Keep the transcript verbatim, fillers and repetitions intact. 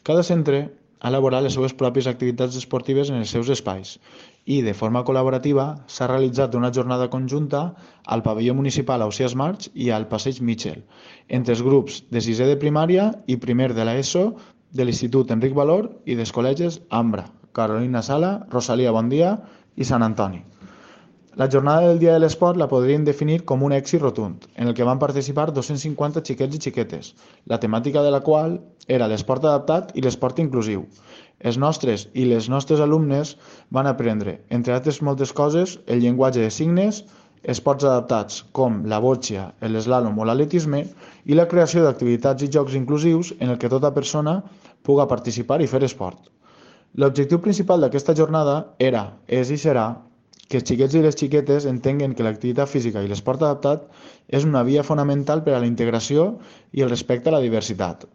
Cada centre ha elaborat les seves pròpies activitats esportives en els seus espais i, de forma col·laborativa, s'ha realitzat una jornada conjunta al pavelló municipal Ausiàs March i al Passeig Mitchell, entre els grups de sisè de primària i primer de l'ESO de l'Institut Enric Valor i dels col·legis Ambra, Carolina Sala, Rosalia Bondia i Sant Antoni. La jornada del Dia de l'Esport la podríem definir com un èxit rotund, en el que van participar dos-cents cinquanta xiquets i xiquetes, la temàtica de la qual era l'esport adaptat i l'esport inclusiu. Els nostres i les nostres alumnes van aprendre, entre altres moltes coses, el llenguatge de signes, esports adaptats com la boccia, l'eslàlom o l'atletisme i la creació d'activitats i jocs inclusius en el que tota persona puga participar i fer esport. L'objectiu principal d'aquesta jornada era, és i serà, que els xiquets i les xiquetes entenguen que l'activitat física i l'esport adaptat és una via fonamental per a la integració i el respecte a la diversitat.